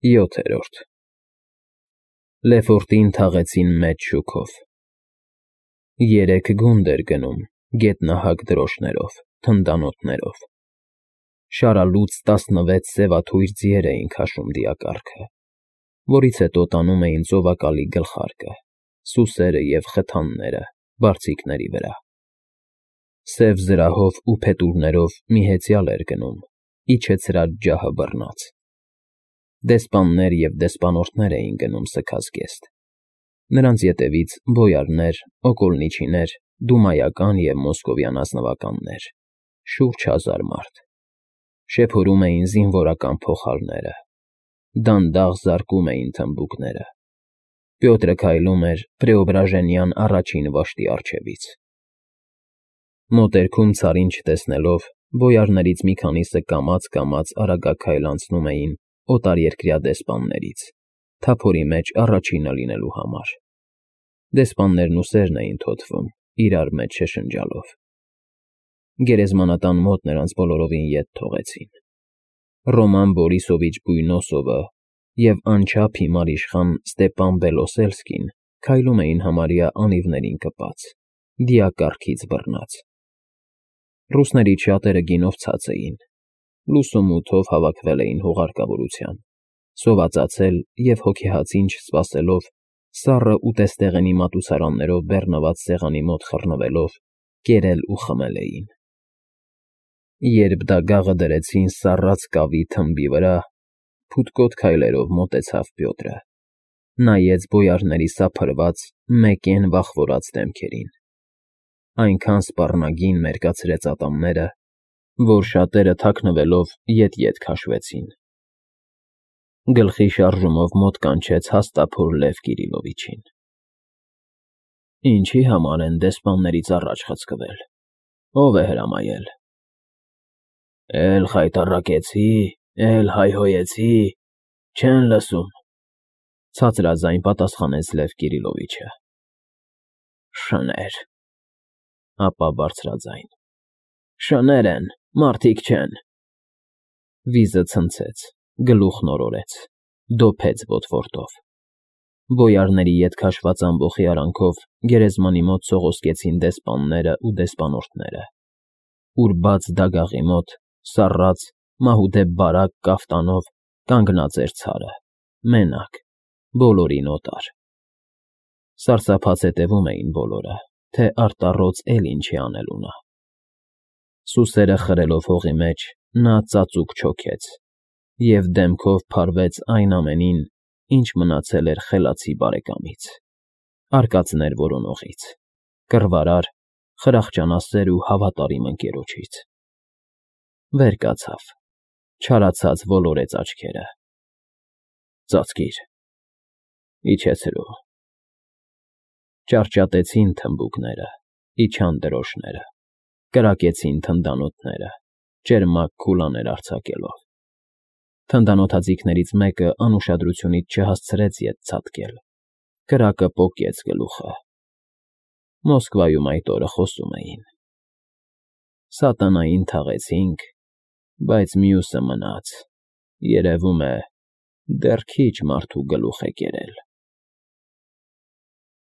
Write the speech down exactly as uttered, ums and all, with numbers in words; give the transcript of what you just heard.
ՅՈԹԵՐՈՐԴ Լեֆորտին թաղեցին մեծ շուքով։ Երեք գունդ էր գնում գետնահակ դրոշներով, թնդանոթներով, շարալուծ տասնվեց սևաթույր ձիեր էին քաշում դիակառքը, որից հետո տանում էին ծովակալի գլխարկը, սուսերը և խթանները բարձիկների վրա։ Սև զրահով ու փետուրներով մի հեծյալ էր գնում, իջեցրած ջահը բռնած։ Դեսպաններ և դեսպանորդներ էին գնում սգասգեստ, նրանց ետևից բոյարներ, օկոլնիչիներ, դումայական և մոսկովյան ազնվականներ, շուրջ հազար մարդ։ Շեփորում էին զինվորական փողահարները, դանդաղ զարկում էին թմբուկները։ Պյոտրը քայլում էր Պրեոբրաժենյան առաջին վաշտի առջևից։ Մոտերքում Ցարին չտեսնելով, բոյարներից մի քանիսը կամաց֊կամաց արագաքայլ անցնում էին օտարերկրյա դեսպաններից, թափորի մեջ առաջինը լինելու համար։ Դեսպաններն ու սերն էին թոթվում, իրար մեջ շշնջալով։ Գերեզմանատան մոտ նրանց բոլորովին ետ թողեցին։ Ռոման Բորիսովիչ Բույնոսովը և անչափ հիմար իշխան Ստեպան Բելոսելսկին քայլում էին համարյա անիվներին կպած, դիակառքից բռնած։ Ռուսներից շատերը գինով ցած էին, լուսումութով հավաքվել էին հուղարկավորության, սովածացել և հոգեհացին չսպասելով, սառը ուտեստեղենի մատուցարաններով բեռնված սեղանի մոտ խռնվելով, կերել ու խմել էին։ Երբ դագաղը դրեցին սառած կավի թմբի վրա, փութկոտ քայլերով մոտեցավ Պյոտրը, նայեց բոյարների սափրված, մեկեն վախվորած դեմքերին, այնքան սպառնագին մերկացրեց ատամները, որ շատերը թաքնվելով ետ֊ետ քաշվեցին։ Գլխի շարժումով մոտ կանչեց հաստափոր Լև Կիրիլովիչին։ ֊ Ինչի՞ համար են դեսպաններից առաջ խցկվել, ո՞վ է հրամայել։ ֊ Էլ խայտառակեցի, էլ հայհոյեցի, չեն լսում,֊ ցածրաձայն պատասխանեց Լև Կիրիլովիչը։ ֊ Շներ,֊ ապա բարձրաձայն,֊ շներ են, մարդիկ չեն։ Վիզը ցնցեց, գլուխն օրորեց, դոփեց ոտվորդով։ Բոյարների ետ քաշված ամբոխի արանքով գերեզմանի մոտ սողոսկեցին դեսպաններն ու դեսպանորդները, ուր բաց դագաղի մոտ, սառած, մահուդե բարակ կաֆտանով կանգնած էր ցարը, մենակ, բոլորին օտար։ Սարսափած հետևում էին բոլորը, թե արտառոց էլ ինչ է անելու նա։ Սուսերը խրելով հողի մեջ, նա ծածուկ չոքեց և դեմքով փարվեց այն ամենին, ինչ մնացել էր խելացի բարեկամից, արկածներ որոնողից, կռվարար, խրախճանասեր ու հավատարիմ ընկերոջից։ Վեր կացավ, չարացած ոլորեց աչքերը։ Ծածկիր, իջեցրու։ Ճարճատեցին թմբուկները, իջան դրոշները, կրակեցին թնդանոթները, ճերմակ քուլաներ արձակելով։ Թնդանոթաձիգներից մեկը անուշադրությունից չհասցրեց ետ ցատկել, կրակը պոկեց գլուխը։ Մոսկվայում այդ օրը խոսում էին. «Սատանային թաղեցինք, բայց մյուսը մնաց, երևում է, դեռ քիչ մարդու գլուխ է կերել»։